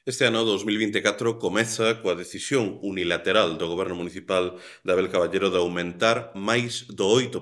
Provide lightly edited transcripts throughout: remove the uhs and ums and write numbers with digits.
Este ano 2024 comeza coa decisión unilateral do Goberno Municipal de Abel Caballero de aumentar máis do 8%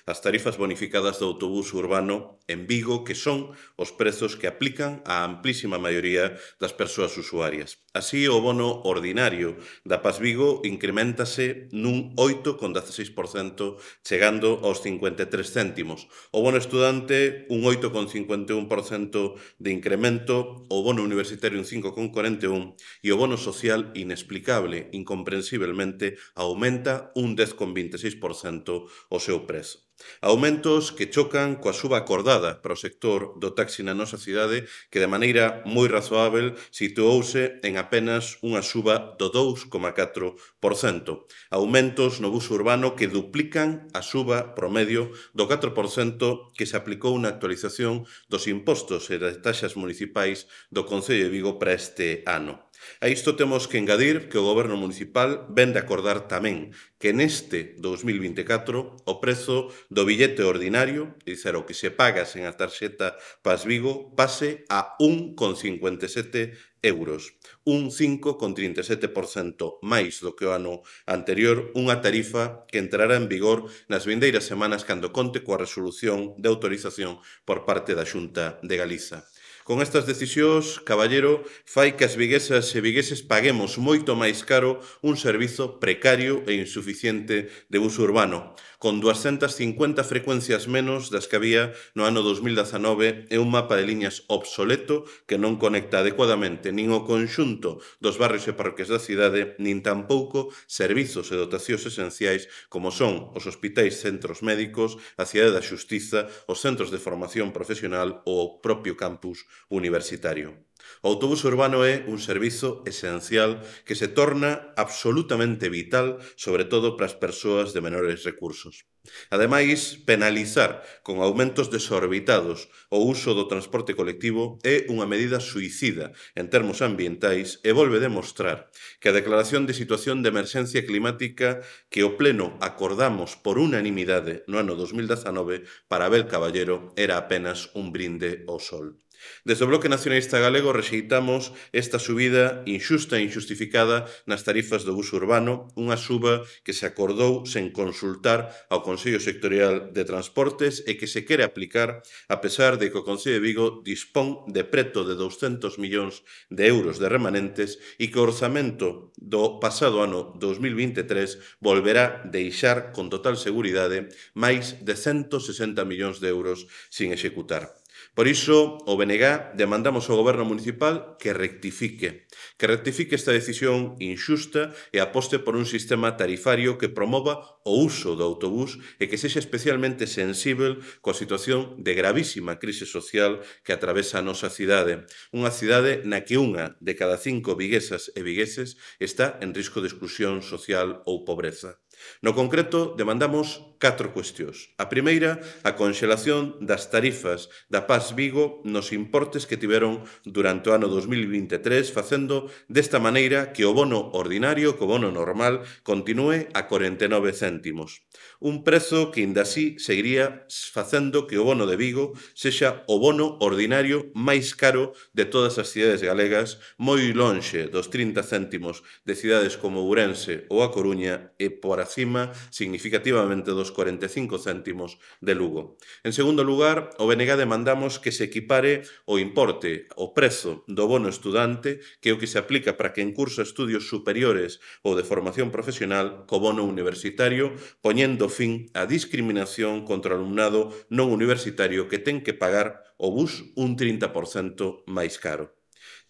as tarifas bonificadas do autobús urbano en Vigo, que son os prezos que aplican á amplísima maioría das persoas usuarias. Así, o bono ordinario da Paz Vigo increméntase nun 8,16%, chegando aos 53 céntimos. O bono estudante, un 8,51% de incremento, o bono universitario un 5,41 e o bono social, inexplicable, incomprensiblemente, aumenta un 10,26% o seu prezo. Aumentos que chocan coa suba acordada para o sector do taxi na nosa cidade, que de maneira moi razoável situouse en apenas unha suba do 2,4%. Aumentos no bus urbano que duplican a suba promedio do 4% que se aplicou na actualización dos impostos e das taxas municipais do Concello de Vigo para este ano. A isto temos que engadir que o Goberno Municipal vén de acordar tamén que neste 2024 o prezo do billete ordinario, é dicir, o que se paga sen a tarxeta Paz Vigo, pase a 1,57 euros, un 5,37% máis do que o ano anterior, unha tarifa que entrará en vigor nas vindeiras semanas cando conte coa resolución de autorización por parte da Xunta de Galiza. Con estas decisións, Caballero fai que as viguesas e vigueses paguemos moito máis caro un servizo precario e insuficiente de bus urbano, con 250 frecuencias menos das que había no ano 2019 e un mapa de liñas obsoleto que non conecta adecuadamente nin o conxunto dos barrios e parroquias da cidade, nin tampouco servizos e dotacións esenciais como son os hospitais, centros médicos, a cidade da xustiza, os centros de formación profesional ou o propio campus universitario. O autobús urbano é un servizo esencial que se torna absolutamente vital, sobre todo para as persoas de menores recursos. Ademais, penalizar con aumentos desorbitados o uso do transporte colectivo é unha medida suicida en termos ambientais e volve demostrar que a declaración de situación de emerxencia climática que o Pleno acordamos por unanimidade no ano 2019 para Abel Caballero era apenas un brinde ao sol. Desde o Bloque Nacionalista Galego rexeitamos esta subida inxusta e injustificada nas tarifas do bus urbano, unha suba que se acordou sen consultar ao Consello Sectorial de Transportes e que se quere aplicar a pesar de que o Concello de Vigo dispón de preto de 200 millóns de euros de remanentes e que o orzamento do pasado ano 2023 volverá deixar con total seguridade máis de 160 millóns de euros sin executar. Por iso, o BNG demandamos ao Goberno Municipal que rectifique esta decisión inxusta e aposte por un sistema tarifario que promova o uso do autobús e que sexa especialmente sensíbel coa situación de gravísima crise social que atravesa a nosa cidade. Unha cidade na que unha de cada 5 viguesas e vigueses está en risco de exclusión social ou pobreza. No concreto, demandamos 4 cuestións. A primeira, a conxelación das tarifas da Paz Vigo nos importes que tiveron durante o ano 2023, facendo desta maneira que o bono ordinario, que o bono normal, continúe a 49 céntimos. Un prezo que, inda así, seguiría facendo que o bono de Vigo sexa o bono ordinario máis caro de todas as cidades galegas, moi lonxe dos 30 céntimos de cidades como Ourense ou A Coruña e por acima significativamente dos 45 céntimos de Lugo. En segundo lugar, o BNG demandamos que se equipare o importe, o prezo do bono estudante, que é o que se aplica para quen cursa estudios superiores ou de formación profesional, co bono universitario, poñendo fin á discriminación contra o alumnado non universitario que ten que pagar o bus un 30% máis caro.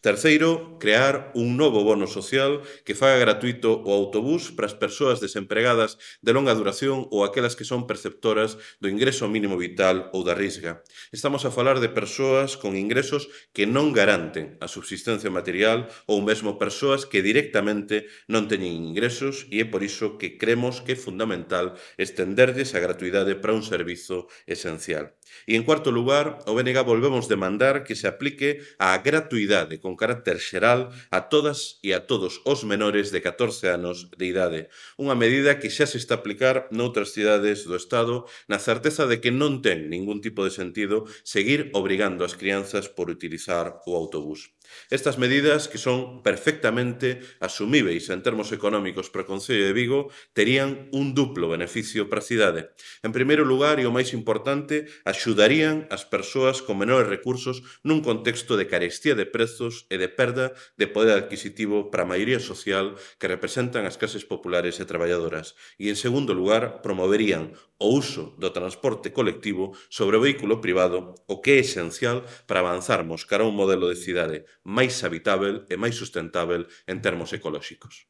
Terceiro, crear un novo bono social que faga gratuito o autobús para as persoas desempregadas de longa duración ou aquelas que son perceptoras do ingreso mínimo vital ou da risga. Estamos a falar de persoas con ingresos que non garanten a subsistencia material ou mesmo persoas que directamente non teñen ingresos e é por iso que cremos que é fundamental estenderlles a gratuidade para un servizo esencial. E, en cuarto lugar, o BNG volvemos demandar que se aplique a gratuidade con carácter xeral a todas e a todos os menores de 14 anos de idade. Unha medida que xa se está a aplicar noutras cidades do Estado na certeza de que non ten ningún tipo de sentido seguir obrigando as crianzas por utilizar o autobús. Estas medidas, que son perfectamente asumíveis en termos económicos para o Concello de Vigo, terían un duplo beneficio para a cidade. En primeiro lugar, e o máis importante, axudarían as persoas con menores recursos nun contexto de carestía de prezos e de perda de poder adquisitivo para a maioría social que representan as clases populares e traballadoras. E, en segundo lugar, promoverían o uso do transporte colectivo sobre o vehículo privado, o que é esencial para avanzarmos cara a un modelo de cidade máis habitável e máis sustentável en termos ecolóxicos.